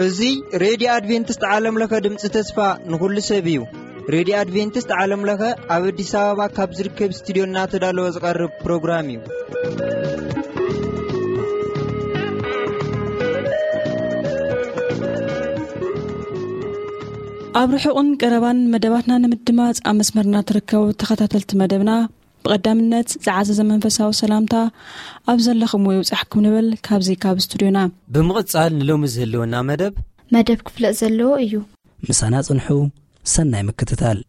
እዚ ሬድዮ ኣድቬንቲስት ዓለም ለኸ ድምፂ ተስፋ ንኹሉ ሰብ እዩ። ሬድዮ ኣድቬንቲስት ዓለም ለኸ ኣብ ኣዲስ ኣበባ ካብ ዝርከብ ስቱዲዮ እናተዳለወ ዝቐርብ ፕሮግራም እዩ። ኣብ ርሑቕን ቀረባን መደባትና ንምድማፅ ኣብ መስመርና ትርከቡ ተኸታተልቲ መደብና፣ ብቐዳምነት ዝዓዘዘ መንፈሳዊ ሰላምታ ኣብ ዘለኹምዎ ይብጻሕኩም ንብል ካብዚ ካብ ስቱድዮና። ብምቕጻል ንሎሚ ዝህልወና መደብ መደብ ክፍለጥ ዘለዎ እዩ። ምሳና ጽንሑ፣ ሰናይ ምክትታል።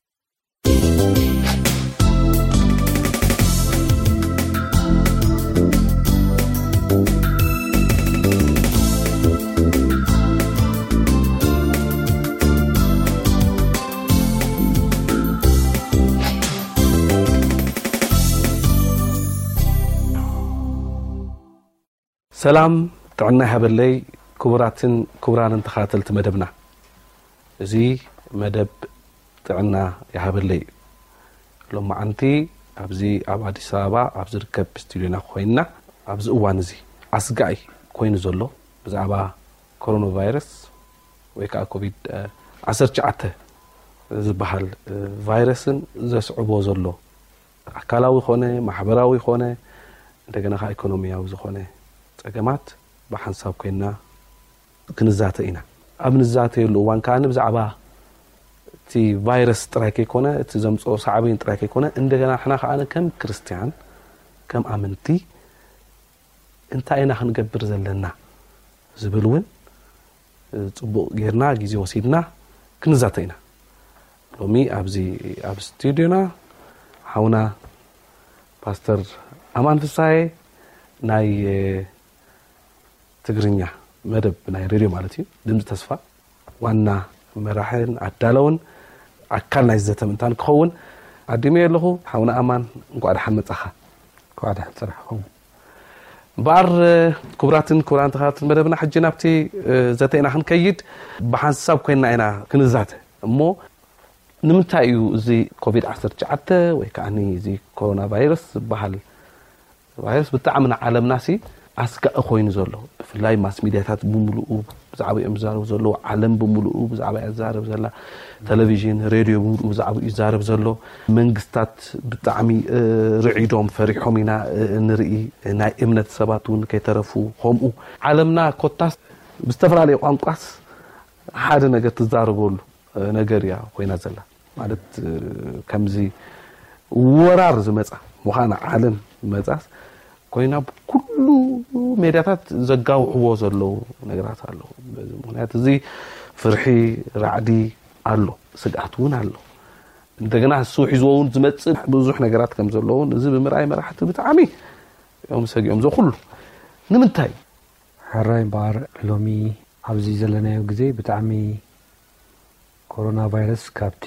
ሰላም ጥዕና ይሃበለይ። ክቡራትን ክቡራንን ተኸታተልቲ መደብና፣ እዚ መደብ ጥዕና ይሃበለይ እዩ። ሎማዓንቲ ኣብዚ ኣብ ኣዲስ ኣበባ ኣብ ዝርከብ ስቱዲዮና ኮይንና ኣብዚ እዋን እዚ ኣስጋኢ ኮይኑ ዘሎ ብዛዕባ ኮሮና ቫይረስ ወይ ከዓ ኮቪድ ዓሰርተ ትሽዓተ ዝበሃል ቫይረስን ዘስዕቦ ዘሎ ኣካላዊ ኮነ ማሕበራዊ ኮነ እንደገና ከዓ ኢኮኖሚያዊ ዝኾነ ፀገማት ብሓንሳብ ኮይንና ክንዛተ ኢና። ኣብ ንዛተየሉ እዋን ከዓ ብዛዕባ እቲ ቫይረስ ጥራይ ከይኮነ፣ እቲ ዘምፅኦ ሳዕቤን ጥራይ ከይኮነ፣ እንደገና ንሕና ከዓ ከም ክርስትያን፣ ከም ኣመንቲ እንታይ ኢና ክንገብር ዘለና ዝብል እውን ፅቡቕ ጌርና ግዜ ወሲድና ክንዛተ ኢና። ሎሚ ኣብዚ ኣብ ስቱዲዮና ሓውና ፓስተር ኣማን ፍሳዬ ናይ ትግርኛ መደብ ናይ ሬድዮ ማለት እዩ፣ ድምፂ ተስፋ ዋና መራሕን ኣዳለውን ኣካል ናይ ዘተ ምእንታን ክኸውን ዓዲመ ኣለኹ። ሓውና ኣማን፣ እንኳዕ ደሓን መጻኻ። እንኳዕ ደሓን ጸናሕኩም። እምበኣር፣ ክቡራትን ክቡራን ተኸታተልቲ መደብና፣ ሕጂ ናብቲ ዘተ ኢና ክንከይድ። ብሓንሳብ ኮይንና ኢና ክንዛተ እሞ፣ ንምንታይ እዩ እዚ ኮቪድ ዓሰርተ ትሽዓተ ወይ ከዓ እዚ ኮሮና ቫይረስ ዝበሃል ቫይረስ ብጣዕሚ ንዓለምናሲ ኣስጋኢ ኮይኑ ዘሎ? ብፍላይ ማስ ሚድያታት ብምሉኡ ብዛዕባ እዮም ዝዛረቡ ዘለዉ፣ ዓለም ብምሉኡ ብዛዕባ እያ ዝዛረብ ዘላ፣ ቴሌቪዥን፣ ሬድዮ ብምሉኡ ብዛዕባ እዩ ዝዛረብ ዘሎ። መንግስታት ብጣዕሚ ርዒዶም፣ ፈሪሖም ኢና ንርኢ። ናይ እምነት ሰባት እውን ከይተረፉ ከምኡ። ዓለምና ኮታስ ብዝተፈላለየ ቋንቋስ ሓደ ነገር ትዛረበሉ ነገር እያ ኮይና ዘላ። ማለት ከምዚ ወራር ዝመፃ ምዃና ዓለም መፃስ ኮይና ብኩሉ ሜድያታት ዘጋውሕዎ ዘለዉ ነገራት ኣለዉ። በዚ ምኽንያት እዚ ፍርሒ፣ ራዕዲ ኣሎ፣ ስግኣት እውን ኣሎ። እንደገና እሱ ሒዝዎ እውን ዝመፅእ ብዙሕ ነገራት ከም ዘለውን እዚ ብምርኣይ መራሕቲ ብጣዕሚ እዮም ሰጊኦም። እዚ ኩሉ ንምንታይ? ሕራይ እምበኣር ሎሚ ኣብዚ ዘለናዮ ግዜ ብጣዕሚ ኮሮና ቫይረስ ካብቲ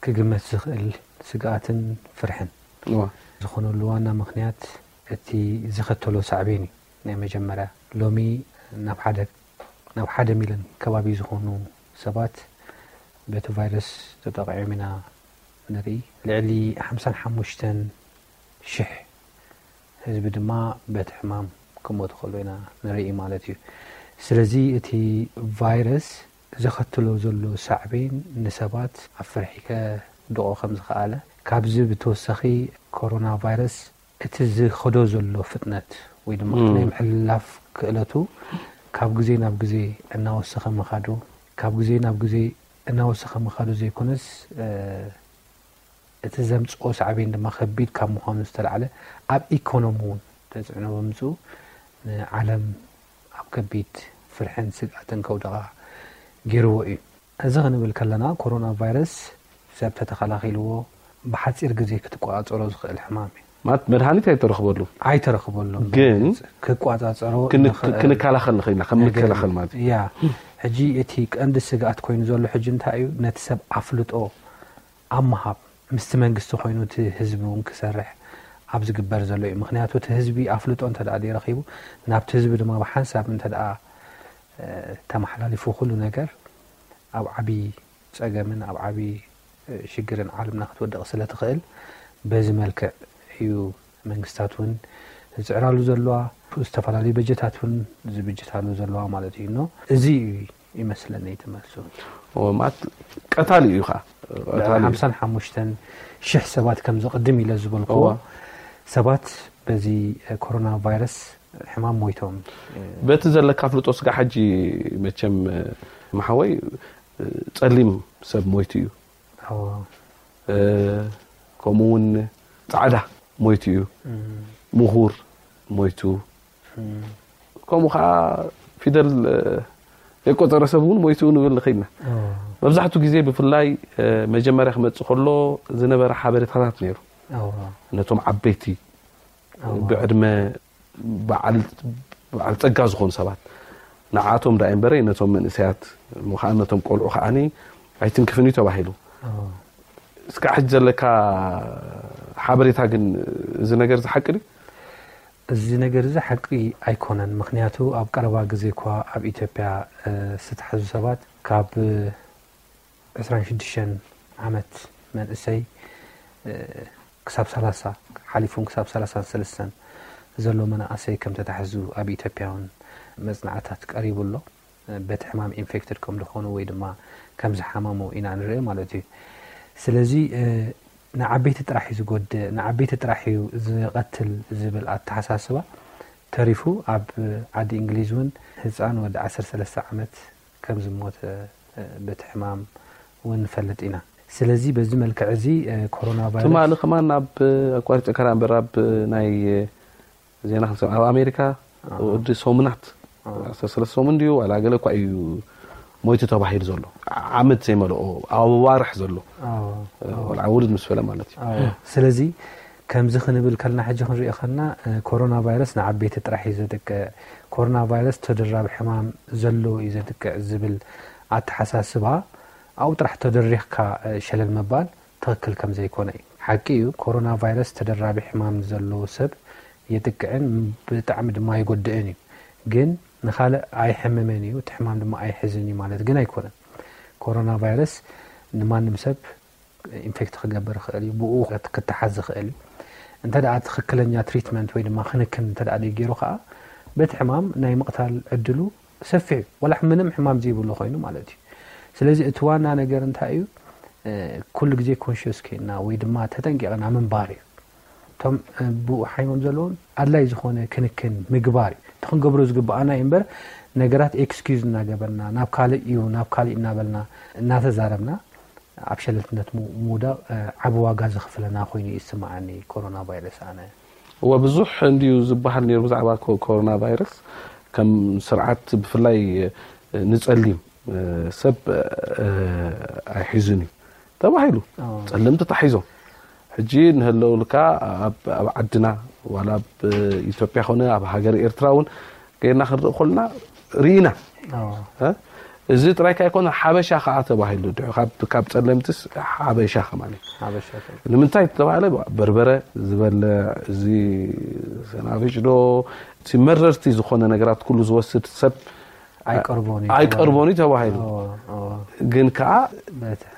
ክግመት ዝኽእል ስግኣትን ፍርሕን ዝኾነሉ ዋና ምኽንያት እቲ ዝኸተሎ ሳዕቤን እዩ። ናይ መጀመርያ ሎሚ ናብ ሓደ ናብ ሓደ ሚልዮን ከባቢ ዝኾኑ ሰባት በቲ ቫይረስ ተጠቒዖም ኢና ንርኢ። ልዕሊ ሓምሳን ሓሙሽተን ሽሕ ህዝቢ ድማ በቲ ሕማም ክሞቱ ከሎ ኢና ንርኢ ማለት እዩ። ስለዚ እቲ ቫይረስ ዘኸትሎ ዘሎ ሳዕቤን ንሰባት ኣብ ፍርሒ ከድቖ ከም ዝኸኣለ፣ ካብዚ ብተወሳኺ ኮሮና ቫይረስ እቲ ዝኸዶ ዘሎ ፍጥነት ወይ ድማ እቲ ናይ ምሕልላፍ ክእለቱ ካብ ግዜ ናብ ግዜ እናወሰኸ ምኻዱ፣ ካብ ግዜ ናብ ግዜ እናወሰኸ ምኻዱ ዘይኮነስ እቲ ዘምፅኦ ሳዕቤን ድማ ከቢድ ካብ ምዃኑ ዝተላዕለ ኣብ ኢኮኖሚ እውን ተፅዕኖ ብምፅኡ ንዓለም ኣብ ከቢድ ፍርሕን ስግኣትን ከውድቓ ገይርዎ እዩ። እዚ ክንብል ከለና ኮሮና ቫይረስ ሰብ ተተኸላኺልዎ ብሓፂር ግዜ ክትቆፃፀሮ ዝኽእል ሕማም እዩ። ማለት መድሃኒት ኣይተረኽበሉ። ኣይተረኽበሉ። ግን ክቆፃፀሮ ክን- ንኽእል ክንከላኸል ንኽእል ኢና፣ ከም ነገር ንከላኸል እዩ። ማለት እዩ። ያ፣ ሕጂ እቲ ቀንዲ ስግኣት ኮይኑ ዘሎ ሕጂ እንታይ እዩ? ነቲ ሰብ ኣፍልጦ ኣብ ምሃብ ምስቲ መንግስቲ ኮይኑ እቲ ህዝቢ እውን ክሰርሕ ኣብ ዝግበር ዘሎ እዩ። ምኽንያቱ እቲ ህዝቢ ኣፍልጦ እንተ ደኣ ዘይረኺቡ ናብቲ ህዝቢ ድማ ብሓንሳብ እንተ ደኣ ተመሓላሊፉ ኩሉ ነገር ኣብ ዓቢ ጸገምን ኣብ ዓቢ ሽግርን ዓለምና ክትወድቕ ስለ ትኽእል በዚ መልክዕ እዩ መንግስታት እውን ዝፅዕራሉ ዘለዋ፣ ዝተፈላለዩ በጀታት እውን ዝብጅታሉ ዘለዋ ማለት እዩ። ኖ፣ እዚ እዩ ይመስለኒ እቲ መልሱ። ማለት ቀታሊ እዩ ኸዓ። ልዕሊ ሓምሳን ሓሙሽተን ሽሕ ሰባት ከም ዝቕድም ኢለ ዝበልክዎ ሰባት በዚ ኮሮና ቫይረስ ሕማም ሞይቶም። በቲ ዘለካ ፍልጦ ስጋ ሕጂ መቸም መሓወይ ጸሊም ሰብ ሞይቱ እዩ። ከምኡ እውን ጻዕዳ ሞይቱ እዩ። ምሁር ሞይቱ። ከምኡ ከዓ ፊደል የቆፀረ ሰብ እውን ሞይቱ ንብል ንኽእልና። መብዛሕትኡ ግዜ ብፍላይ መጀመርያ ክመፅእ ከሎ ዝነበረ ሓበሬታታት ነይሩ። ነቶም ዓበይቲ ብዕድመ በዓል ጸጋ ዝኾኑ ሰባት ንዓቶም ዳኣ እምበረይ ነቶም መንእሰያት እሞ ከዓ ነቶም ቆልዑ ከዓኒ ኣይትንክፍን እዩ ተባሂሉ። እስካ ሕጂ ዘለካ ሓበሬታ ግን እዚ ነገር እዚ ሓቂ ድዩ? እዚ ነገር እዚ ሓቂ ኣይኮነን። ምክንያቱ ኣብ ቀረባ ግዜ እኳ ኣብ ኢትዮጵያ ዝተሓዙ ሰባት ካብ 26 ዓመት መንእሰይ ክሳብ 30 ሓሊፉን ክሳብ 33 ዘሎ መናእሰይ ከም ተታሕዙ ኣብ ኢትዮጵያ እውን መጽናዕታት ቀሪቡ ኣሎ። በቲ ሕማም ኢንፌክትድ ከም ዝኾኑ ወይ ድማ ከም ዝሓመሙ ኢና ንርኢ ማለት እዩ። ስለዚ ንዓበይቲ ጥራሕ እዩ ዝጎድእ፣ ንዓበይቲ ጥራሕ እዩ ዝቐትል ዝብል ኣተሓሳስባ ተሪፉ ኣብ ዓዲ እንግሊዝ እውን ህፃን ወዲ 13 ዓመት ከም ዝሞተ በቲ ሕማም እውን ንፈልጥ ኢና። ስለዚ በዚ መልክዕ እዚ ኮሮና ቫይረስ ትማሊ ከማን ኣብ ኣቋሪፀ ከራ እምበር ኣብ ናይ ዜና ክንሰምዕ ኣብ ኣሜሪካ ወዲ ሰሙናት 13 ሰሙን ድዩ ዋላ ገለ እኳ እዩ ሞይቱ ተባሂሉ ዘሎ ዓመት ዘይመልኦ ኣዋርሕ ዘሎ ወላ ውርድ ምስ በለ ማለት እዩ። ስለዚ ከምዚ ክንብል ከልና ሕጂ ክንሪኦ ከልና ኮሮና ቫይረስ ንዓበይቲ ጥራሕ እዩ ዘጥቅዕ፣ ኮሮና ቫይረስ ተደራቢ ሕማም ዘሎ እዩ ዘጥቅዕ ዝብል ኣተሓሳስባ ኣብኡ ጥራሕ ተደሪኽካ ሸለል ምባል ትኽክል ከም ዘይኮነ እዩ። ሓቂ እዩ፣ ኮሮና ቫይረስ ተደራቢ ሕማም ንዘለዎ ሰብ የጥቅዕን ብጣዕሚ ድማ የጎድእን እዩ። ግን ንኻልእ ኣይሕምምን እዩ፣ እቲ ሕማም ድማ ኣይሕዝን እዩ ማለት ግን ኣይኮነን። ኮሮና ቫይረስ ንማንም ሰብ ኢንፌክት ክገብር ይኽእል እዩ፣ ብኡ ክትሓዝ ዝኽእል እዩ። እንተ ደኣ ትኽክለኛ ትሪትመንት ወይ ድማ ክንክን እንተ ደኣ ደይገይሩ ከዓ በቲ ሕማም ናይ ምቕታል ዕድሉ ሰፊሕ እዩ። ዋላ ምንም ሕማም ዘይብሉ ኮይኑ ማለት እዩ። ስለዚ እቲ ዋና ነገር እንታይ እዩ? ኩሉ ግዜ ኮንሽስ ኮይና ወይ ድማ ተጠንቂቕና ምንባር እዩ። እቶም ብኡ ሓይሞም ዘለዎም ኣድላይ ዝኾነ ክንክን ምግባር እዩ። እቲ ክንገብሮ ዝግብኣና እዩ እምበር ነገራት ኤክስኪዩዝ እናገበርና ናብ ካልእ እዩ ናብ ካልእ እናበልና እናተዛረብና ኣብ ሸለልትነት ምውዳቕ ዓቢ ዋጋ ዘኽፍለና ኮይኑ እዩ ዝስምዓኒ ኮሮና ቫይረስ ኣነ። እወ ብዙሕ እንድዩ ዝበሃል ነይሩ ብዛዕባ ኮሮና ቫይረስ ከም ስርዓት ብፍላይ ንጸሊም ሰብ ኣይሒዙን እዩ ተባሂሉ። ጸለምቲ ተታሒዞም ሕጂ ንህለውልካ ኣብ ዓድና ዋላ ኣብ ኢትዮጵያ ኮነ ኣብ ሃገር ኤርትራ እውን ገይርና ክንርኢ ኮልና ርኢና። እዚ ጥራይ ካይኮነ ሓበሻ ከዓ ተባሂሉ ድሑ ካብ ጸለምትስ ሓበሻ ከማን እዩ። ንምንታይ ተባሃለ? በርበረ ዝበልዕ እዚ ሰናፍጭ ዶ እቲ መረርቲ ዝኾነ ነገራት ኩሉ ዝወስድ ሰብ ኣይቀርቦን እዩ ኣይቀርቦን እዩ ተባሂሉ። ግን ከዓ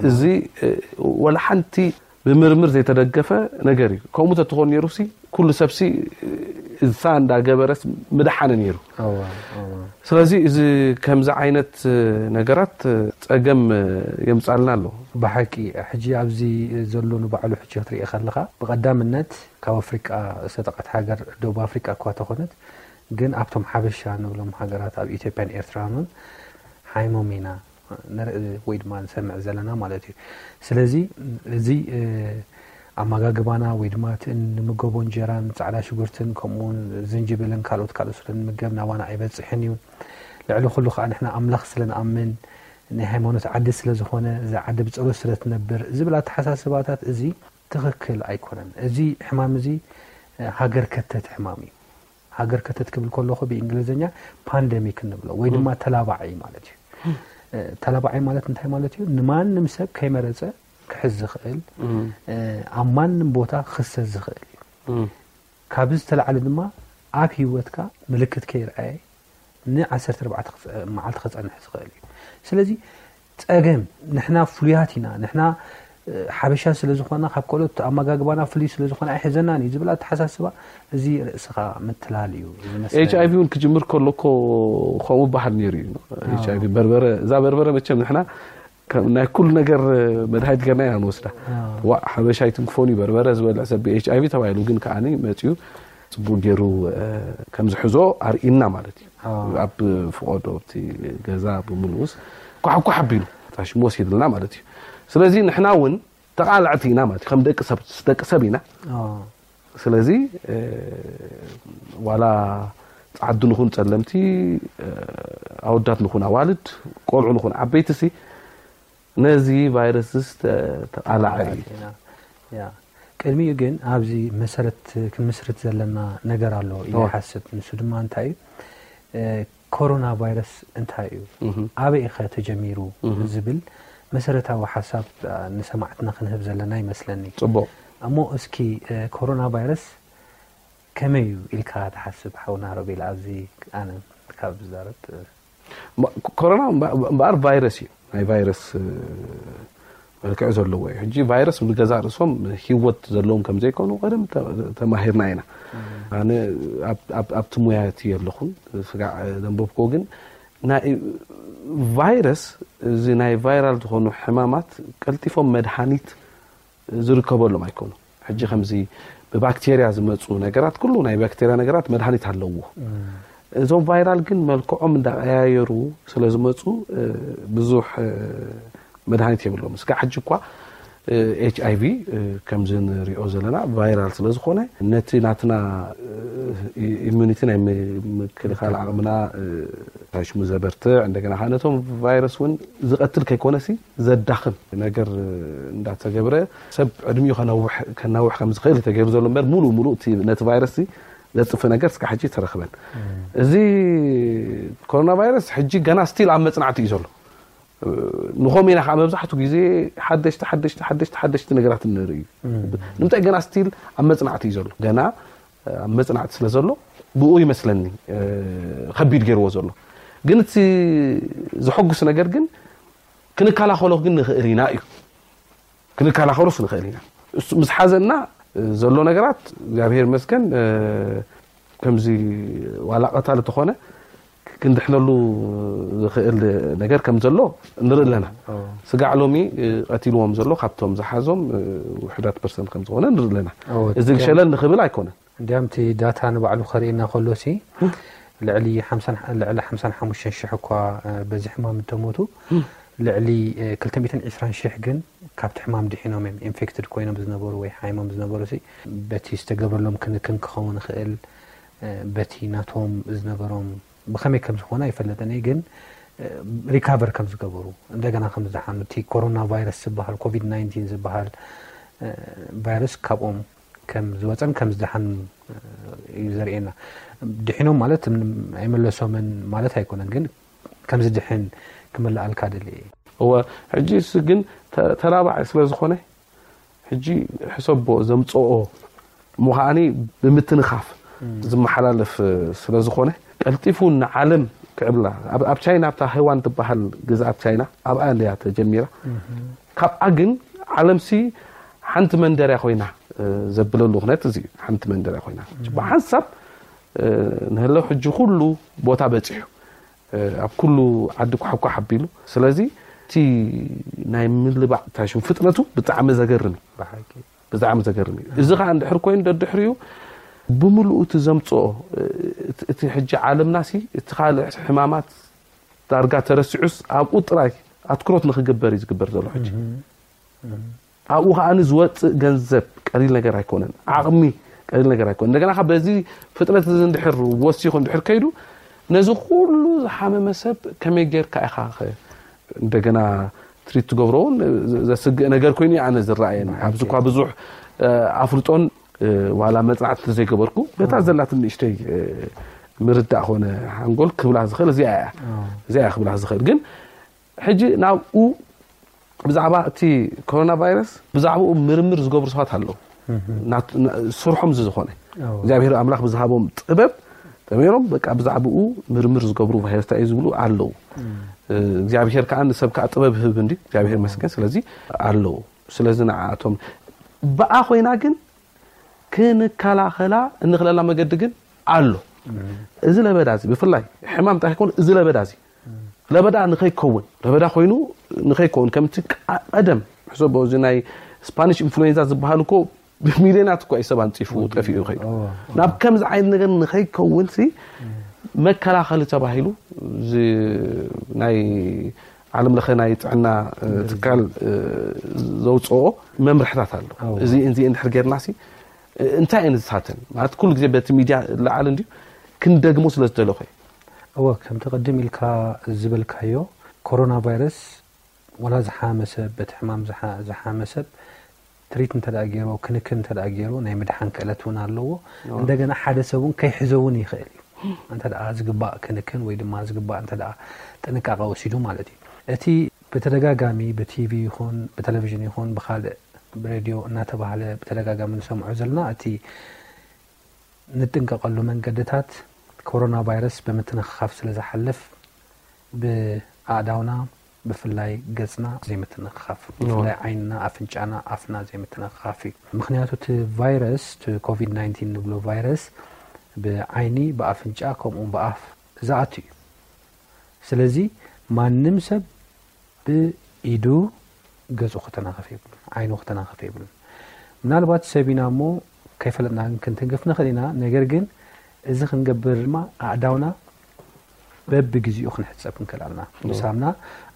እዚ ወላ ሓንቲ ብምርምር ዘይተደገፈ ነገር እዩ። ከምኡ ተትኾን ነይሩ ሲ ኩሉ ሰብ ሲ እሳ እንዳገበረስ ምድሓነ ነይሩ። ስለዚ እዚ ከምዚ ዓይነት ነገራት ፀገም የምፃልና ኣሎ። ብሓቂ ሕጂ ኣብዚ ዘሎ ንባዕሉ ሕጂ ክትርኢ ከለኻ ብቐዳምነት ካብ ኣፍሪቃ ዝተጠቐት ሃገር ደቡብ ኣፍሪቃ እኳ ተኾነት ግን ኣብቶም ሓበሻ ንብሎም ሃገራት ኣብ ኢትዮጵያን ኤርትራን እውን ሓይሞም ኢና ንርኢ ወይ ድማ ንሰምዕ ዘለና ማለት እዩ። ስለዚ እዚ ኣመጋግባና ወይ ድማ እቲ እንምገቦ እንጀራን ፃዕዳ ሽጉርትን ከምኡውን ዝንጅብልን ካልኦት ካልኦት ስለ ንምገብ ናባና ኣይበፅሕን እዩ። ልዕሊ ኩሉ ከዓ ንሕና ኣምላኽ ስለ ንኣምን ናይ ሃይማኖት ዓዲ ስለ ዝኾነ እዛ ዓዲ ብፀሎት ስለ ትነብር ዝብል ኣተሓሳስባታት እዚ ትኽክል ኣይኮነን። እዚ ሕማም እዚ ሃገር ከተት ሕማም እዩ። ሃገር ከተት ክብል ከለኹ ብእንግሊዝኛ ፓንደሚክ እንብሎ ወይ ድማ ተላባዒ ማለት እዩ። ተላባዒ ማለት እንታይ ማለት እዩ? ንማንም ሰብ ከይመረፀ ክሕዝ ዝኽእል ኣብ ማንም ቦታ ክኽሰት ዝኽእል እዩ። ካብዚ ዝተላዕለ ድማ ኣብ ህይወትካ ምልክት ከይረኣየ ን14 መዓልቲ ክፀንሕ ዝኽእል እዩ። ስለዚ ፀገም ንሕና ፍሉያት ኢና፣ ንሕና ሓበሻ ስለ ዝኾና ካብ ካልኦት ኣመጋግባና ፍሉይ ስለ ዝኾነ ኣይሕዘናን እዩ ዝብል ኣተሓሳስባ፣ እዚ ርእስኻ ምትላል እዩ ዝመስለኒ። ኤች ኣይቪ እውን ክጅምር ከሎ እኮ ከምኡ በሃል ነይሩ እዩ። ኤች ኣይቪ በርበረ፣ እዛ በርበረ መቸም ንሕና ከም ናይ ኩሉ ነገር መድሃኒት ገርና ኢና ንወስዳ። ዋ ሓበሻ ኣይትንክፎን እዩ በርበረ ዝበልዕ ሰብ ኤች ኣይቪ ተባሂሉ፣ ግን ከዓኒ መፅኡ ፅቡቅ ገይሩ ከም ዝሕዞ ኣርእና ማለት እዩ። ኣብ ፍቆዶ ኣብቲ ገዛ ብምልኡስ ኳሕኳሕ ኣቢሉ ሽሙ ወሲድልና ማለት እዩ። ስለዚ ንሕና እውን ተቓላዕቲ ኢና ማለት እዩ። ከም ደቂ ሰብ ደቂ ሰብ ኢና። ስለዚ ዋላ ፃዓዱ ንኹን ፀለምቲ፣ ኣወዳት ንኹን ኣዋልድ፣ ቆልዑ ንኹን ዓበይቲ ሲ ነዚ ቫይረስስ ተቓላዕ እዩ። ቅድሚኡ ግን ኣብዚ መሰረት ክንምስርት ዘለና ነገር ኣሎ ኢለ ይሓስብ። ንሱ ድማ እንታይ እዩ? ኮሮና ቫይረስ እንታይ እዩ? ኣበይ ኸ ተጀሚሩ? ዝብል መሰረታዊ ሓሳብ ንሰማዕትና ክንህብ ዘለና ይመስለኒ። ፅቡቅ። እሞ እስኪ ኮሮና ቫይረስ ከመይ እዩ ኢልካ ትሓስብ ሓውና ሮቤል? ኣብዚ ኣነ ካብ ዝዛረብ ኮሮና እምበኣር ቫይረስ እዩ። ናይ ቫይረስ መልክዕ ዘለዎ እዩ። ሕጂ ቫይረስ ብገዛ ርእሶም ሂወት ዘለዎም ከም ዘይኮኑ ቀደም ተማሂርና ኢና። ኣነ ኣብቲ ሙያ እቲ የለኹን፣ ስጋዕ ዘንበብክዎ ግን ናይ ቫይረስ፣ እዚ ናይ ቫይራል ዝኾኑ ሕማማት ቀልጢፎም መድሃኒት ዝርከበሎም ኣይኮኑ። ሕጂ ከምዚ ብባክቴርያ ዝመፁ ነገራት፣ ኩሉ ናይ ባክቴርያ ነገራት መድሃኒት ኣለዎ። እዞም ቫይራል ግን መልክዖም እንዳቀያየሩ ስለ ዝመፁ ብዙሕ መድሃኒት የብሎም። እስካ ሕጂ እኳ ኤች ኣይቪ ከምዚ ንሪኦ ዘለና ቫይራል ስለ ዝኾነ ነቲ ናትና ኢሚኒቲ ናይ ምክልኻል ዓቕምና ሽሙ ዘበርትዕ፣ እንደገና ከዓ ነቶም ቫይረስ እውን ዝቐትል ከይኮነሲ ዘዳኽም ነገር እንዳተገብረ ሰብ ዕድሚኡ ከናውሕ ከም ዝኽእል ተገይሩ ዘሎ እምበር ሙሉ ሙሉ ነቲ ቫይረስ ዘጥፍ ነገር እስካ ሕጂ ተረክበን። እዚ ኮሮና ቫይረስ ሕጂ ገና ስቲል ኣብ መፅናዕቲ እዩ ዘሎ። ንኸም ኢና ከዓ መብዛሕትኡ ግዜ ሓደሽቲ ሓደሽቲ ሓደሽቲ ሓደሽቲ ነገራት ንርኢ እዩ። ንምንታይ ገና ስቲል ኣብ መፅናዕቲ እዩ ዘሎ። ገና ኣብ መፅናዕቲ ስለ ዘሎ ብኡ ይመስለኒ ከቢድ ገይርዎ ዘሎ። ግን እቲ ዘሐጉስ ነገር ግን ክንከላኸሎ ግን ንኽእል ኢና እዩ። ክንከላኸሎስ ንኽእል ኢና። ምስ ሓዘና ዘሎ ነገራት እግዚኣብሔር ይመስገን ከምዚ ዋላ ቀታል ተኾነ ክንድሕነሉ ዝኽእል ነገር ከም ዘሎ ንርኢ ኣለና። ስጋዕ ሎሚ ቀቲልዎም ዘሎ ካብቶም ዝሓዞም ውሕዳት ፐርሰንት ከም ዝኾነ ንርኢ ኣለና። እዚ ሸለል ንኽብል ኣይኮነን። እንዲያም እቲ ዳታ ንባዕሉ ከርእየና ከሎ ሲ ልዕሊ ልዕሊ ሓምሳን ሓሙሽተን ሽሕ እኳ በዚ ሕማም እተሞቱ ልዕሊ ክልተ ሚእትን ዕስራን ሽሕ ግን ካብቲ ሕማም ድሒኖም እዮም። ኢንፌክትድ ኮይኖም ዝነበሩ ወይ ሓይሞም ዝነበሩ ሲ በቲ ዝተገብረሎም ክንክን ክኸውን ይኽእል፣ በቲ ናቶም ዝነበሮም ብኸመይ ከም ዝኾነ ኣይፈለጥን እየ፣ ግን ሪካቨር ከም ዝገበሩ እንደገና ከም ዝደሓኑ፣ እቲ ኮሮና ቫይረስ ዝበሃል ኮቪድ ናይንቲን ዝበሃል ቫይረስ ካብኦም ከም ዝወፀን ከም ዝደሓን እዩ ዘርእየና። ድሒኖም ማለት ኣይመለሶምን ማለት ኣይኮነን፣ ግን ከም ዝድሕን ክምልኣልካ ደሊ እየ። እወ፣ ሕጂ እሱ ግን ተላባዒ ስለ ዝኾነ ሕጂ ሕሰቦ ዘምፅኦ ምዃኒ ብምትንኻፍ ዝመሓላለፍ ስለ ዝኾነ ቀልጢፉ ንዓለም ክዕብላ ኣብ ቻይና ኣብታ ሃይዋን ትበሃል ግዝኣት ቻይና ኣብኣ እንድያ ተጀሚራ። ካብኣ ግን ዓለምሲ ሓንቲ መንደርያ ኮይና ዘብለሉ ኩነት እዚ ሓንቲ መንደርያ ኮይና ብሓንሳብ ንህለው ሕጂ ኩሉ ቦታ በፂሑ ኣብ ኩሉ ዓዲ ኳሕኳሕ ኣቢሉ። ስለዚ እቲ ናይ ምልባዕ ታሽም ፍጥነቱ ብጣዕሚ ዘገርም እዩ። ብጣዕሚ ዘገርም እዩ። እዚ ከዓ እንድሕር ኮይኑ ደድሕሪኡ ብምልኡ እቲ ዘምፅኦ እቲ ሕጂ ዓለምናሲ እቲ ካልእ ሕማማት ዳርጋ ተረሲዑስ ኣብኡ ጥራይ ኣትኩሮት ንክግበር እዩ ዝግበር ዘሎ ሕጂ። ኣብኡ ከዓ ዝወፅእ ገንዘብ ቀሊል ነገር ኣይኮነን። ዓቕሚ ቀሊል ነገር ኣይኮነን። እንደገና ካብ በዚ ፍጥነት እዚ እንድሕር ወሲኹ እንድሕር ከይዱ ነዚ ኩሉ ዝሓመመ ሰብ ከመይ ጌርካ ኢኻ እንደገና ትሪት ትገብሮ እውን ዘስግእ ነገር ኮይኑ ኣነ ዝረኣየኒ። ኣብዚ እኳ ብዙሕ ኣፍልጦን ዋላ መፅናዕቲ ዘይገበርኩ በታ ዘላትን ንእሽተይ ምርዳእ ኮነ ሓንጎል ክብላ ዝኽእል እዚኣ እያ። እዚኣ እያ ክብላ ዝኽእል። ግን ሕጂ ናብኡ ብዛዕባ እቲ ኮሮና ቫይረስ ብዛዕባኡ ምርምር ዝገብሩ ሰባት ኣለዉ። ስርሖም እዚ ዝኾነ እግዚኣብሔር ኣምላኽ ብዝሃቦም ጥበብ ተመይሮም በቃ ብዛዕባኡ ምርምር ዝገብሩ ቫይረስ እንታይ እዩ ዝብሉ ኣለዉ። እግዚኣብሔር ከዓ ንሰብ ከዓ ጥበብ ህብ እንዲ እግዚኣብሔር መስገን። ስለዚ ኣለዉ ስለዚ ንዓኣቶም ብኣ ኮይና ግን ክንከላኸላ እንኽለላ መገዲ ግን ኣሎ። እዚ ለበዳ እዚ ብፍላይ ሕማም ጥራሕ ይኮን፣ እዚ ለበዳ እዚ ለበዳ ንኸይከውን፣ ለበዳ ኮይኑ ንኸይከውን፣ ከምቲ ቃ- ቀደም ሕሰቦ፣ እዚ ናይ ስፓኒሽ ኢንፍሉዌንዛ ዝበሃል እኮ ብሚልዮናት እኮ እዩ ሰብ ኣንፂፉ ጠፊኡ ይኸይዱ። ናብ ከምዚ ዓይነት ነገር ንኸይከውን ሲ መከላኸሊ ተባሂሉ እዚ ናይ ዓለም ለኸ ናይ ጥዕና ትካል ዘውፅኦ መምርሕታት ኣሎ። እዚ እዚ እንድሕር ጌርና ሲ እንታይ እየን ዝሳተን ማለት ኩሉ ግዜ በቲ ሚድያ ለዓል እንዲዩ ክንደግሞ ስለ ዝደለኹ። እወ፣ ከምቲ ቅድም ኢልካ ዝበልካዮ፣ ኮሮና ቫይረስ ዋላ ዝሓመ ሰብ፣ በቲ ሕማም ዝሓ- ዝሓመ ሰብ ትሪት እንተ ደኣ ገይርዎ፣ ክንክን እንተ ደኣ ገይርዎ፣ ናይ ምድሓን ክእለት እውን ኣለዎ። እንደገና ሓደ ሰብ እውን ከይሕዞ እውን ይኽእል እዩ። እንተ ደኣ ዝግባእ ክንክን ወይ ድማ ዝግባእ እንተ ደኣ ጥንቃቐ ወሲዱ ማለት እዩ። እቲ ብተደጋጋሚ ብቲቪ ይኹን ብቴሌቪዥን ይኹን ብኻልእ ብሬድዮ እናተባህለ ብተደጋጋሚ ንሰምዖ ዘለና እቲ ንጥንቀቐሉ መንገድታት ኮሮና ቫይረስ ብምትንኽኻፍ ስለ ዝሓልፍ ብኣእዳውና ብፍላይ ገጽና ዘይምትንኽኻፍ፣ ብፍላይ ዓይንና፣ ኣፍንጫና፣ ኣፍና ዘይምትንኽኻፍ እዩ። ምኽንያቱ እቲ ቫይረስ እቲ ኮቪድ ናይንቲን ንብሎ ቫይረስ ብዓይኒ፣ ብኣፍንጫ ከምኡ ብኣፍ ዝኣቱ እዩ። ስለዚ ማንም ሰብ ብኢዱ ገጹ ክተናኸፍ የብሉን፣ ዓይኑ ክተናኸፍ የብሉን። ምናልባት ሰብ ኢና እሞ ከይፈለጥና ግን ክንትንክፍ ንኽእል ኢና። ነገር ግን እዚ ክንገብር ድማ ኣእዳውና በብግዜኡ ክንሕጸብ ክንክእል ኣለና። ብሳምና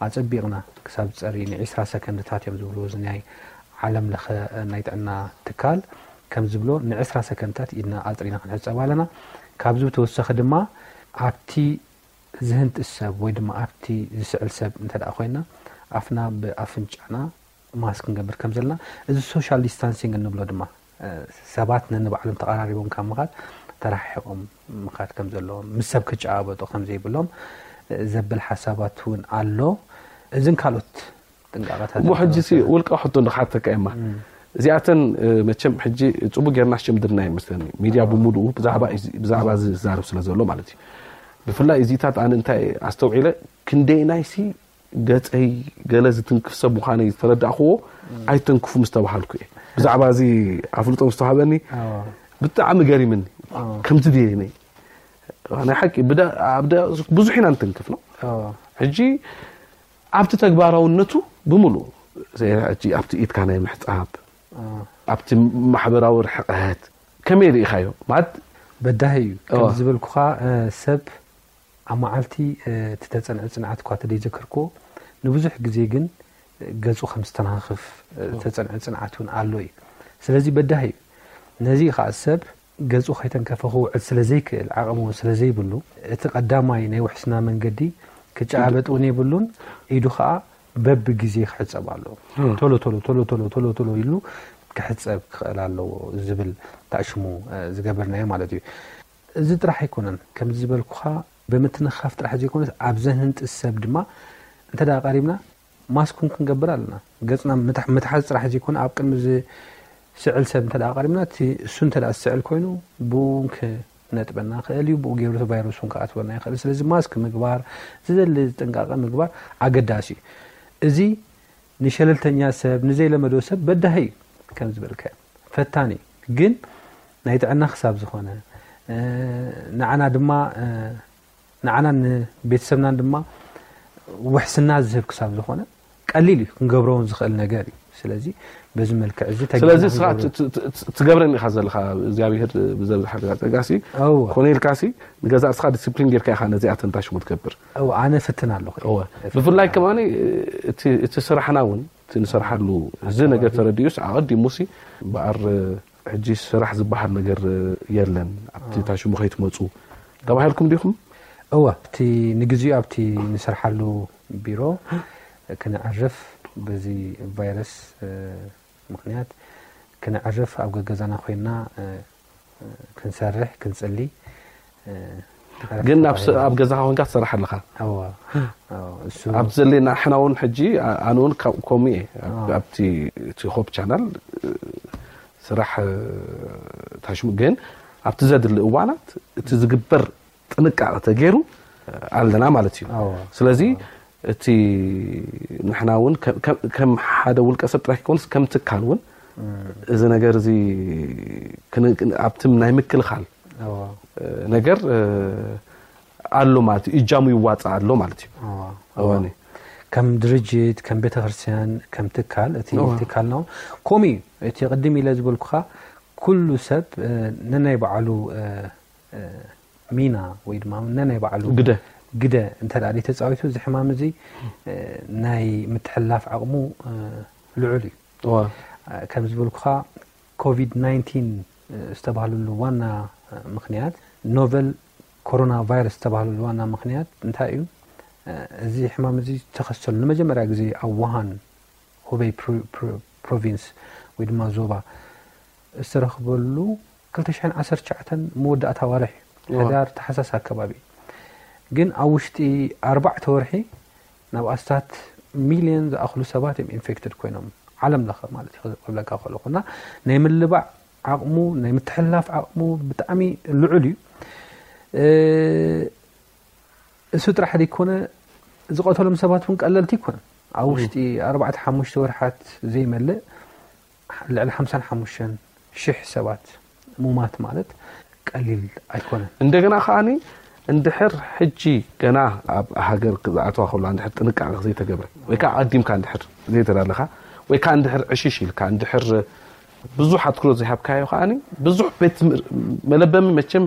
ኣጸቢቕና ክሳብ ዝጸሪ ን20 ሰከንድታት እዮም ዝብሉ። እዚ ናይ ዓለም ለኸ ናይ ጥዕና ትካል ከም ዝብሎ ን20 ሰከንድታት ኢድና ኣጽሪና ክንሕጸብ ኣለና። ካብዚ ብተወሳኺ ድማ ኣብቲ ዝህንጥስ ሰብ ወይ ድማ ኣብቲ ዝስዕል ሰብ እንተ ደኣ ኮይና ኣፍና ብኣፍንጫና ማስክ ክንገብር ከም ዘለና፣ እዚ ሶሻል ዲስታንሲንግ እንብሎ ድማ ሰባት ነንባዕሎም ተቐራሪቦም ካብ ምኻድ ተረሓሒቖም ምኻድ ከም ዘለዎም፣ ምስ ሰብ ክጨባበጡ ከም ዘይብሎም ዘብል ሓሳባት እውን ኣሎ። እዝን ካልኦት ጥንቃቐታት እሞ ሕጂ ሲ ውልቃ ሕቶ ንክሓተካ እማ እዚኣተን መቸም ሕጂ ፅቡቅ ጌርና ሽምድርና ይመስለኒ ሚድያ ብሙሉኡ ብዛዕባ እዚ ዝዛረብ ስለ ዘሎ ማለት እዩ። ብፍላይ እዚታት ኣነ እንታይ ኣስተውዒለ ክንደይናይ ሲ ገፀይ ገለ ዝትንክፍ ሰብ ምዃነይ ዝተረዳእክዎ ኣይተንክፉ ምስ ተባሃልኩ እየ ብዛዕባ እዚ ኣፍልጦ ምስ ተዋሃበኒ ብጣዕሚ ገሪምኒ። ከምዚ ድየ ነይ ናይ ሓቂ ብዙሕ ኢና ንትንክፍ ነው ሕጂ ኣብቲ ተግባራውነቱ ብምሉእ ኣብቲ ኢድካ ናይ ምሕፃብ ኣብቲ ማሕበራዊ ርሕቀት ከመይ ርኢኻዮ ማለት? በዳሂ እዩ ከም ዝበልኩኻ ሰብ ኣብ መዓልቲ እቲ ተፀንዐ ፅንዓት እኳ ተደይዘከርክዎ ንብዙሕ ግዜ ግን ገፁ ከም ዝተናኽፍ ተፀንዐ ፅንዓት እውን ኣሎ እዩ። ስለዚ በዳሂ እዩ። ነዚ ከዓ ሰብ ገጹ ከይተንከፈ ክውዕል ስለ ዘይክእል ዓቕሚ እውን ስለ ዘይብሉ እቲ ቀዳማይ ናይ ውሕስና መንገዲ ክጨባበጥ እውን የብሉን። ኢዱ ከዓ በብግዜ ክሕጸብ ኣለዎ። ቶሎ ቶሎ ቶሎ ቶሎ ቶሎ ቶሎ ኢሉ ክሕጸብ ክኽእል ኣለዎ ዝብል ታእሽሙ ዝገበርናዮ ማለት እዩ። እዚ ጥራሕ ኣይኮነን ከምዚ ዝበልኩኻ ብምትንኻፍ ጥራሕ ዘይኮነስ ኣብ ዘንህንጥስ ሰብ ድማ እንተ ደኣ ቀሪብና ማስክ እውን ክንገብር ኣለና። ገጽና ምትሓዝ ጥራሕ ዘይኮነ ኣብ ቅድሚ ዝስዕል ሰብ እንተ ደኣ ቀሪብና እቲ እሱ እንተ ደኣ ዝስዕል ኮይኑ ብኡ እውን ክነጥበና ይኽእል እዩ። ብኡ ገይሩ እቲ ቫይረስ እውን ክኣትወና ይኽእል። ስለዚ ማስክ ምግባር፣ ዝደሊ ጥንቃቐ ምግባር ኣገዳሲ እዩ። እዚ ንሸለልተኛ ሰብ፣ ንዘይለመዶ ሰብ በዳሂ እዩ። ከም ዝበልካዮ ፈታኒ እዩ። ግን ናይ ጥዕና ክሳብ ዝኾነ ንዓና ድማ ንዓናን ንቤተሰብናን ድማ ውሕስና ዝህብ ክሳብ ዝኾነ ቀሊል እዩ ክንገብሮ እውን ዝኽእል ነገር እዩ። ስለዚ በዚ መልክዕ እዚ ስለዚ ስኻ ትገብረን ኢኻ ዘለኻ እግዚኣብሄር ብዘብዝሓ ጸጋሲ ኮነ ኢልካሲ ንገዛ ርስኻ ዲስፕሊን ጌርካ ኢኻ ነዚኣ ተንታሽሙ ትገብር። ኣነ ፍትን ኣለኹ። ብፍላይ ከማኒ እቲ ስራሕና እውን እቲ ንሰርሓሉ እዚ ነገር ተረዲኡስ ኣቐዲሙሲ በኣር ሕጂ ስራሕ ዝበሃል ነገር የለን ኣብቲ ታሽሙ ከይትመፁ ተባሂልኩም ዲኹም? እወ፣ እቲ ንግዚኡ ኣብቲ ንሰርሓሉ ቢሮ ክነዕርፍ በዚ ቫይረስ ምኽንያት ክነዕርፍ ኣብ ገገዛና ኮይና ክንሰርሕ ክንፅሊ ግን ኣብ ገዛኻ ኮንካ ትሰርሕ ኣለኻ። ኣብቲ ዘሌና ሕና እውን ሕጂ ኣነ እውን ከምኡ እየ ኣብቲ እቲ ሆፕ ቻናል ስራሕ ታሽሙ ግን ኣብቲ ዘድሊ እዋናት እቲ ዝግበር ጥንቃቐ ተገይሩ ኣለና ማለት እዩ። ስለዚ እቲ ንሕና እውን ከም ሓደ ውልቀ ሰብ ጥራይ ክኮንስ ከም ትካል እውን እዚ ነገር እዚ ኣብቲ ናይ ምክልኻል ነገር ኣሎ ማለት እዩ። እጃሙ ይዋፃ ኣሎ ማለት እዩ። እወኒ ከም ድርጅት ከም ቤተክርስትያን ከም ትካል እቲ ትካል ነው ኮሚ እቲ ቅድም ኢለ ዝበልኩኻ ኩሉ ሰብ ነናይ በዓሉ ሚና ወይ ድማ ነናይ በዓሉ ግደ ግደ እንተ ተፃዊቱ እዚ ሕማም እዚ ናይ ምትሕላፍ ዓቕሙ ልዑል እዩ። ከም ዝበልኩኻ ኮቪድ ናይንቲን ዝተባህለሉ ዋና ምክንያት ኖቨል ኮሮና ቫይረስ ዝተባህለሉ ዋና ምክንያት እንታይ እዩ? እዚ ሕማም እዚ ዝተኸሰሉ ንመጀመርያ ግዜ ኣብ ውሃን ሁበይ ፕሮቪንስ ወይ ድማ ዞባ ዝተረኽበሉ ክልተ ሽሕን ዓሰርተ ትሽዓተን መወዳእታ ዋርሕ ሕዳር ተሓሳስ ኣከባቢ ግን ኣብ ውሽጢ ኣርባዕተ ወርሒ ናብ ኣስታት ሚልዮን ዝኣኽሉ ሰባት እዮም ኢንፌክትድ ኮይኖም ዓለም ለኸ ማለት እዩ ክብለካ ከለኹ እና ናይ ምልባዕ ዓቕሙ ናይ ምትሕላፍ ዓቕሙ ብጣዕሚ ልዑል እዩ። እሱ ጥራሕ ዘይኮነ ዝቐተሎም ሰባት እውን ቀለልቲ ይኮነ ኣብ ውሽጢ ኣርባዕተ ሓሙሽተ ወርሓት ዘይመልእ ልዕሊ ሓምሳን ሓሙሽተን ሽሕ ሰባት ሙማት ማለት ቀሊል ኣይኮነን። እንደገና ከዓኒ እንድሕር ሕጂ ገና ኣብ ሃገር ክዝኣተዋ ከሎ እንድሕር ጥንቃቄ ዘይተገብረ ወይ ከዓ ኣዲምካ እንድሕር ዘይተዳለኻ ወይ ከዓ እንድሕር ዕሽሽ ኢልካ እንድሕር ብዙሕ ኣትኩሮ ዘይሃብካዮ ከዓኒ ብዙሕ ቤት ትምህር- መለበሚ መቸም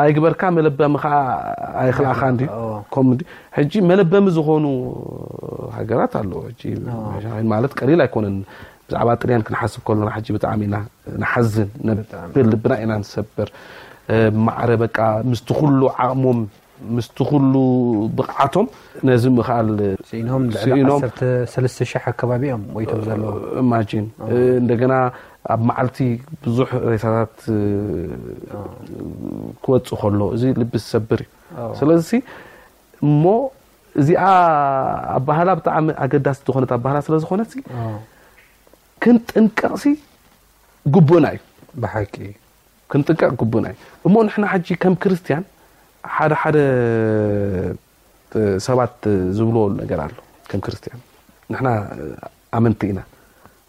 ኣይግበርካ መለበሚ ከዓ ኣይክልኣኻ እንዲ ኮምዲ ሕጂ መለበሚ ዝኾኑ ሃገራት ኣለዎ። ሕጂ ማለት ቀሊል ኣይኮነን። ብዛዕባ ጥልያን ክንሓስብ ከለና ሕጂ ብጣዕሚ ኢና ንሓዝን ነብል ልብና ኢና ንሰብር። ማዕረ በቃ ምስቲ ኩሉ ዓቕሞም ምስቲ ኩሉ ብቕዓቶም ነዚ ምኽኣል ስኢኖም ልዕሊ ስኢኖም ዓሰርተ ሰለስተ ሽሕ ኣከባቢ እዮም ሞይቶም ዘለዉ። ኢማጂን እንደገና ኣብ መዓልቲ ብዙሕ ሬሳታት ክወፅእ ከሎ እዚ ልቢ ዝሰብር እዩ። ስለዚ እሞ እዚኣ ኣባህላ ብጣዕሚ ኣገዳሲ ዝኾነት ኣባህላ ስለ ዝኾነት ክንጥንቀቕሲ ግቡእና እዩ። ብሓቂ ክንጥንቀቕ ግቡእና እዩ። እሞ ንሕና ሕጂ ከም ክርስትያን ሓደ ሓደ ሰባት ዝብልዎ ነገር ኣሎ። ከም ክርስትያን ንሕና ኣመንቲ ኢና።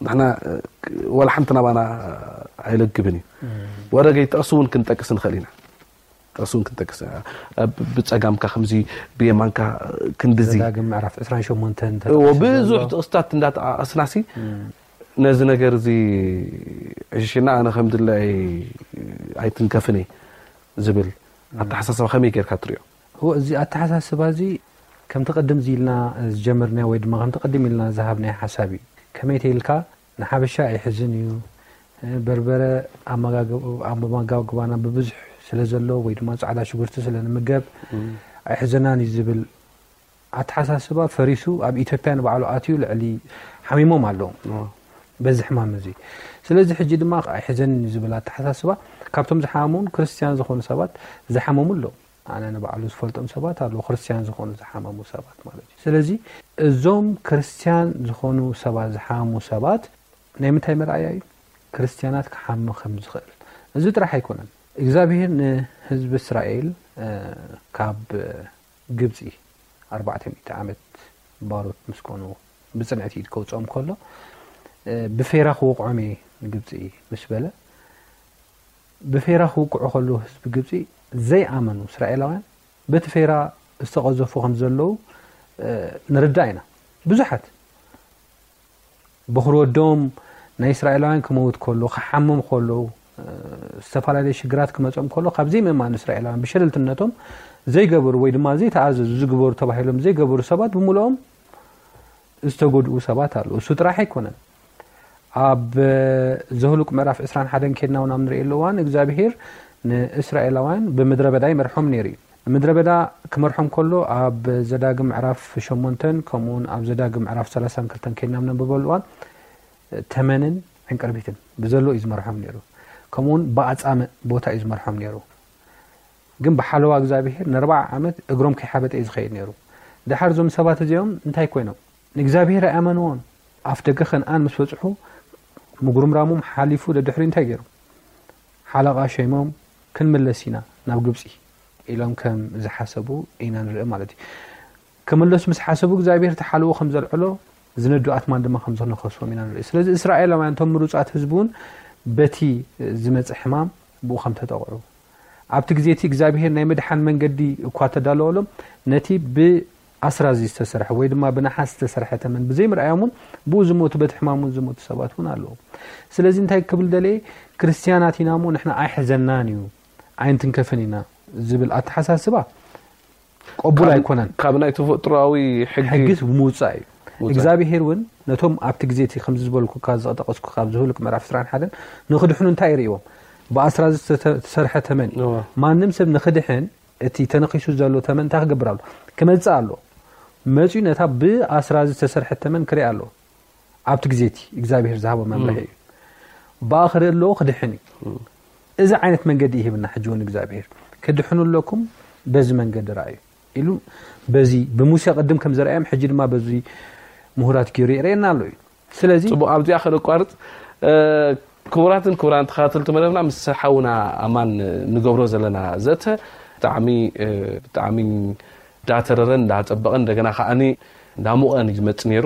ንሕና ወላ ሓንቲ ናባና ኣይለግብን እዩ። ወረገይ ጥቕሲ እውን ክንጠቅስ ንኽእል ኢና። ጥቕሲ እውን ክንጠቅስ ብፀጋምካ ከምዚ ብየማንካ ክንድዚ ዘዳግም ምዕራፍ ዕስራን ሸሞንተን እዎ ብዙሕ ጥቕስታት እንዳጠቃቀስናሲ ነዚ ነገር እዚ ዕሽሽና ኣነ ከም ድላይ ኣይትንከፍን እየ ዝብል ኣተሓሳስባ ከመይ ጌርካ ትሪኦ? እዎ እዚ ኣተሓሳስባ እዚ ከምቲ ቅድም ኢልና ዝጀመርናዮ ወይ ድማ ከምቲ ቅድም ኢልና ዝሃብናዮ ሓሳብ እዩ። ከመይ ተይልካ ንሓበሻ ኣይሕዝን እዩ። በርበረ ኣብ መጋግባና ብብዙሕ ስለ ዘሎ ወይ ድማ ፃዕዳ ሽጉርቲ ስለ ንምገብ ኣይሕዘናን እዩ ዝብል ኣተሓሳስባ ፈሪሱ ኣብ ኢትዮጵያ ንባዕሉ ኣትዩ ልዕሊ ሓሚሞም ኣለዉ በዚ ሕማም እዚ። ስለዚ ሕጂ ድማ ኣይሕዘንን እዩ ዝብል ኣተሓሳስባ ካብቶም ዝሓመሙን ክርስትያን ዝኾኑ ሰባት ዝሓመሙ ኣለዉ። ኣነ ንባዕሉ ዝፈልጦም ሰባት ኣለዉ ክርስትያን ዝኾኑ ዝሓመሙ ሰባት ማለት እዩ። ስለዚ እዞም ክርስትያን ዝኾኑ ሰባት ዝሓመሙ ሰባት ናይ ምንታይ መርኣያ እዩ? ክርስትያናት ክሓሚ ከም ዝኽእል። እዚ ጥራሕ ኣይኮነን። እግዚኣብሄር ንህዝቢ እስራኤል ካብ ግብፂ ኣርባዕተ ሚእቲ ዓመት ባሮት ምስ ኮኑ ብፅንዕቲ ኢድ ከውፅኦም ከሎ ብፌራ ክወቕዖም እየ ንግብፂ ምስ በለ ብፌራ ክውቅዑ ከለዉ ህዝቢ ግብፂ ዘይኣመኑ እስራኤላውያን በቲ ፌራ ዝተቐዘፉ ከም ዘለዉ ንርዳእ ኢና። ብዙሓት በኹሪ ወዶም ናይ እስራኤላውያን ክመውት ከሎ ክሓምም ከሎ ዝተፈላለዩ ሽግራት ክመፆም ከሎ ካብ ዘይምእማን እስራኤላውያን ብሸለልትነቶም ዘይገበሩ ወይ ድማ ዘይተኣዘዙ ዝግበሩ ተባሂሎም ዘይገበሩ ሰባት ብምልኦም ዝተጎድኡ ሰባት ኣለዉ። እሱ ጥራሕ ኣይኮነን። ኣብ ዘሁሉቅ ምዕራፍ ዕስራን ሓደን ኬድና እውን ኣብ ንርእየሉ እዋን እግዚኣብሄር ንእስራኤላውያን ብምድረ በዳ ይመርሖም ነይሩ እዩ። ንምድረ በዳ ክመርሖም ከሎ ኣብ ዘዳግም ምዕራፍ ሸሞንተን ከምኡውን ኣብ ዘዳግም ምዕራፍ ሰላሳን ክልተን ኬድና ኣብ ነንብበሉ እዋን ተመንን ዕንቅርቢትን ብዘሎ እዩ ዝመርሖም ነይሩ። ከምኡውን ብኣጻምእ ቦታ እዩ ዝመርሖም ነይሩ። ግን ብሓለዋ እግዚኣብሄር ንኣርብዓ ዓመት እግሮም ከይሓበጠ እዩ ዝኸይድ ነይሩ። ድሓር እዞም ሰባት እዚኦም እንታይ ኮይኖም? ንእግዚኣብሄር ኣይኣመንዎን። ኣፍ ደገ ከነኣን ምስ በጽሑ ምጉርምራሞም ሓሊፉ ደድሕሪ እንታይ ገይሩ? ሓለቓ ሸይሞም ክንምለስ ኢና ናብ ግብጺ ኢሎም ከም ዝሓሰቡ ኢና ንርኢ ማለት እዩ። ክምለሱ ምስ ሓሰቡ እግዚኣብሔር ተሓልዎ ከም ዘልዕሎ ዝነዱ ኣትማን ድማ ከም ዝነኸስዎም ኢና ንርኢ። ስለዚ እስራኤላውያን እቶም ምሩጻት ህዝቢ እውን በቲ ዝመጽእ ሕማም ብኡ ከም ተጠቕዑ ኣብቲ ግዜ እቲ እግዚኣብሔር ናይ ምድሓን መንገዲ እኳ ተዳለወሎም ነቲ ብኣስራዚ ዝተሰርሐ ወይ ድማ ብነሓስ ዝተሰርሐ ተመን ብዘይምርኣዮም እውን ብኡ ዝሞቱ በቲ ሕማም እውን ዝሞቱ ሰባት እውን ኣለዉ። ስለዚ እንታይ ክብል ደለየ? ክርስትያናት ኢና እሞ ንሕና ኣይሕዘናን እዩ ኣይንትንከፍን ኢና ዝብል ኣተሓሳስባ ቅቡል ኣይኮነን። ካብ ናይ ተፈጥሮኣዊ ሕጊ ሕጊስ ምውፃእ እዩ። ምውፃእ። እግዚኣብሄር እውን ነቶም ኣብቲ ግዜ እቲ ከምዚ ዝበልኩካ ዝጠቀስኩካ ኣብዚ ሁልቅ ምዕራፍ ዕስራን ሓደን ንክድሕኑ እንታይ ይርእዎም? ብኣስራዚ ዝተተ- ዝተሰርሐ ተመን እዩ። እዋ። ማንም ሰብ ንክድሕን እቲ ተነኪሱ ዘሎ ተመን እንታይ ክገብር ኣሎ? ክመፅእ ኣሎ። መፅኡ ነታ ብኣስራዚ ዝተሰርሐት ተመን ክርኢ ኣሎ። ኣብቲ ግዜ እቲ እግዚኣብሄር ዝሃቦ መምርሒ እዩ። ብኣ ክርኢ ኣለዎ ክድሕን እዩ። እዚ ዓይነት መንገዲ ይህብና ሕጂ እውን እግዚኣብሄር። ክድሕኑ ኣለኩም በዚ መንገዲ ረኣዩ ኢሉ በዚ ብሙሴ ቅድም ከም ዘርኣዮም ሕጂ ድማ በዚ ምሁራት ገይሩ የርእየና ኣሎ እዩ። ስለዚ ፅቡቅ ኣብዚኣ ከነቋርፅ። ክቡራትን ክቡራን ተኸታተልቲ መደብና ምስ ሓውና ኣማን ንገብሮ ዘለና ዘተ ብጣዕሚ ብጣዕሚ እንዳተረረን እንዳፀበቐን እንደገና ከዓኒ እንዳሞቐን እዩ ዝመፅእ ነይሩ።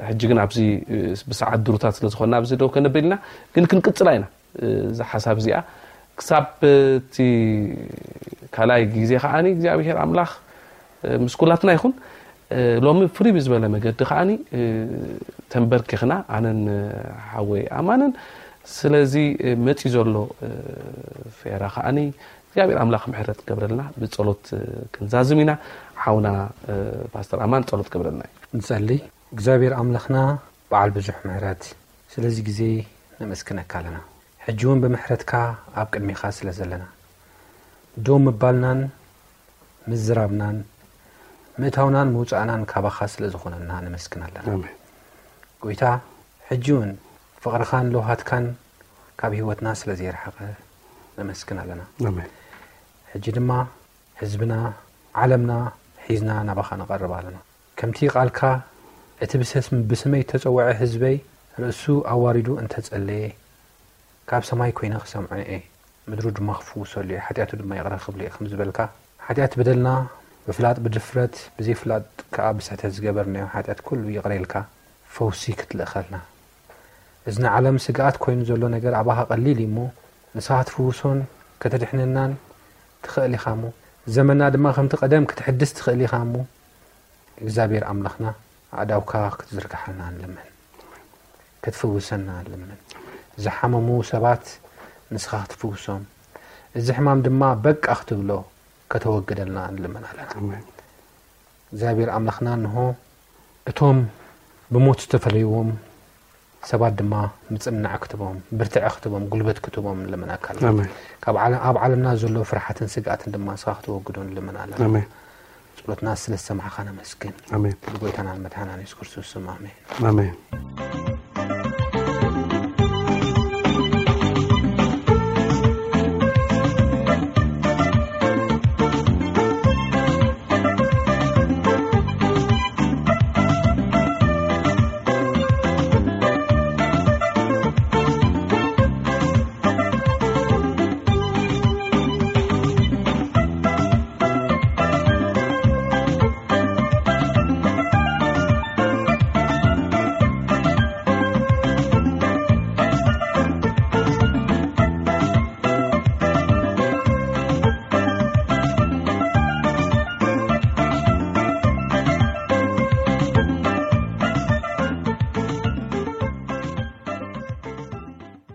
ሕጂ ግን ኣብዚ ብሰዓት ድሩታት ስለዝኾንና ኣብዚ ደው ከነብል ኢና። ግን ክንቅፅላ ኢና። እዛ ሓሳብ እዚኣ ክሳብ እቲ ካልኣይ ግዜ ከዓኒ እግዚኣብሔር ኣምላኽ ምስ ኩላትና ይኹን። ሎሚ ፍርይ ብዝበለ መገዲ ከዓኒ ተንበርኪኽና ኣነን ሓወይ ኣማንን ስለዚ መፂ ዘሎ ፌራ ከዓኒ እግዚኣብሔር ኣምላኽ ምሕረት ክገብረልና ብፀሎት ክንዛዝም ኢና። ሓውና ፓስተር ኣማን ፀሎት ክገብረልና እዩ። ንጸሊ። እግዚኣብሔር ኣምላኽና በዓል ብዙሕ ምሕረት ስለዚ ግዜ ነመስግነካ ኣለና። ሕጂ እውን ብምሕረትካ ኣብ ቅድሚኻ ስለ ዘለና ዶ ምባልናን ምዝራብናን ምእታውናን ምውፃእናን ካባኻ ስለ ዝኾነና ነመስግን ኣለና። ኣሜን። ጎይታ ሕጂ እውን ፍቕርኻን ለውሃትካን ካብ ህይወትና ስለ ዘይረሓቐ ነመስግን ኣለና። ኣሜን። ሕጂ ድማ ህዝብና ዓለምና ሒዝና ናባኻ ንቐርብ ኣለና። ከምቲ ቃልካ እቲ ብሰስ- ብስመይ እተጸውዐ ህዝበይ ርእሱ ኣዋሪዱ እንተ ጸለየ ካብ ሰማይ ኮይነ ክሰምዖ እየ፣ ምድሩ ድማ ክፍውሰሉ እየ፣ ሓጢኣቱ ድማ ይቕረ ክብሎ እየ ከም ዝበልካ፣ ሓጢኣት በደልና ብፍላጥ ብድፍረት ብዘይፍላጥ ከኣ ብስሕተት ዝገበርናዮ ሓጢኣት ኩሉ ይቕረ ኢልካ ፈውሲ ክትልእኸልና። እዚ ንዓለም ስግኣት ኮይኑ ዘሎ ነገር ኣባኻ ቀሊል እዩ እሞ ንስኻ ክትፍውሶን ከተድሕነናን ትኽእል ኢኻ እሞ ዘመንና ድማ ከምቲ ቀደም ክትሕድስ ትኽእል ኢኻ እሞ እግዚኣብሔር ኣምላኽና ኣእዳውካ ክትዝርግሓልና ንልምን፣ ክትፍውሰና ንልምን። ዝሓመሙ ሰባት ንስኻ ክትፍውሶም፣ እዚ ሕማም ድማ በቃ ክትብሎ ከተወግደልና ንልምን ኣለና። ኣሜን። እግዚኣብሔር ኣምላኽና እንሆ እቶም ብሞት ዝተፈለይዎም ሰባት ድማ ምጽንናዕ ክትቦም፣ ብርትዐ ክትቦም፣ ጉልበት ክትቦም ንልምናካ ኣለና። ኣሜን። ካብ ዓለ- ኣብ ዓለምና ዘሎ ፍርሓትን ስግኣትን ድማ ንስኻ ክትወግዶ ንልምን ኣለና። ኣሜን። ጸሎትና ስለ ዝሰማዕኻ ነመስግን። ኣሜን። ብጎይታናን መድሓናን የሱስ ክርስቶስ ስም ኣሜን። ኣሜን።